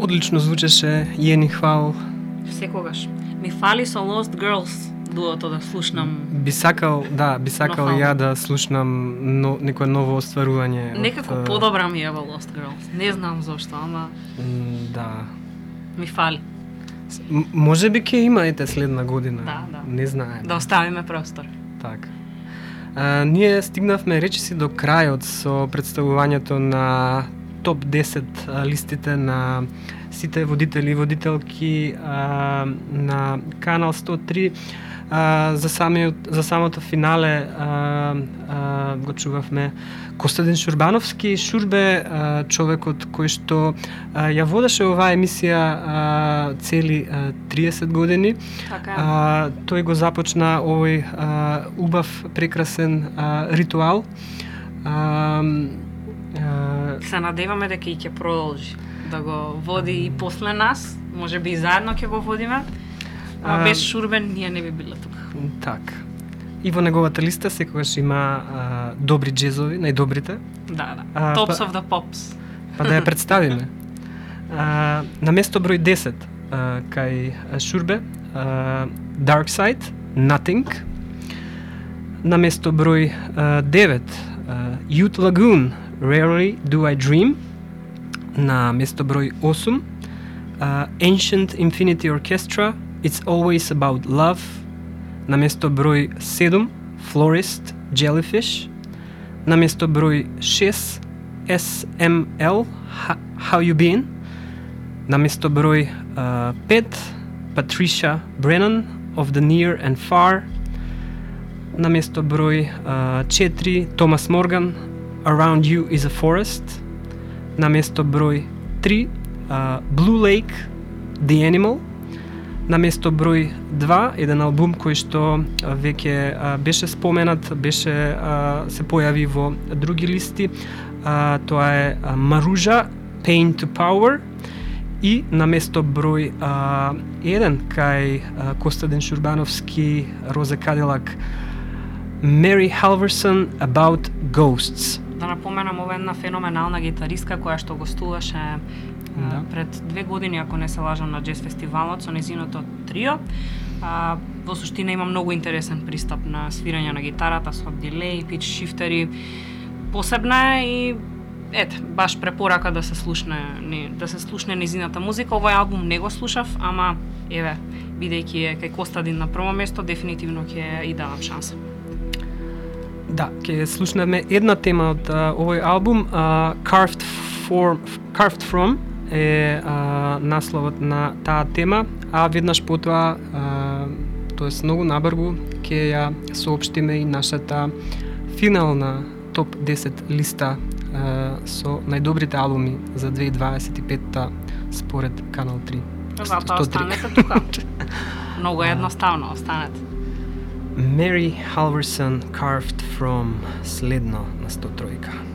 Одлично звучеше, Јени, хвал. Секогаш. Ми фали со Lost Girls дуото да слушнам. Би сакал ја да слушнам некое ново остварување. Некако подобра ми е во Lost Girls. Не знам зошто, ама да. Ми фали. Може би ќе има следна година. Да. Не знаем. Да оставиме простор. Така. Ние стигнавме речиси до крајот со представувањето на топ 10 листите на сите водители и водителки на Канал 103. За самото финале го чувавме Костадин Шурбановски. Шурбе, човекот кој што ја водеше оваа емисија цели 30 години. Така. Тој го започна овој убав, прекрасен ритуал. Се надеваме дека и ќе продолжи да го води и после нас, може би и заедно ќе го водиме. А без Шурбен ние не би биле тука. Така. И во неговата листа секогаш има добри джезови, најдобрите. Да. Tops of the Pops. Па да ја представиме. На место број 10 кај Шурбе, Dark Side, Nothing. На место број 9 Youth Lagoon, Rarely Do I Dream. На место број 8 Ancient Infinity Orchestra, It's Always About Love. На место број 7 Florist, Jellyfish. На место број 6 SML, How You Been. На место број 5 Patricia Brennan, Of the Near and Far. На место број 4 Thomas Morgan, Around You is a Forest. На место број 3 Blue Lake, The Animal. На место број 2 еден албум кој што веќе беше споменат, се појави во други листи. Тоа е Маружа, Pain to Power. И на место број 1 кај Костадин Шурбановски, Розе Кадилак, Mary Halverson, About Ghosts. Да напоменам, ова е една феноменална гитаристка која што гостуваше пред 2 години, ако не се лажам, на джез фестивалот со незиното трио. Во суштина има многу интересен пристап на свирање на гитарата со дилеј, пич шифтери. Посебна е и баш препорака да се слушне незината музика. Овој албум не го слушав, ама бидејќи е кај Костадин на прво место, дефинитивно ќе и давам шанса. Да, ќе слушнеме една тема од овој албум, Carved From е насловот на таа тема, а веднаш потоа, тоест многу набрзо, ќе ја соопштиме и нашата финална топ 10 листа со најдобрите албуми за 2025 според Канал 3. Затоа останете тука. Многу едноставно, останете. Mary Halverson, Carved From, следно на 103.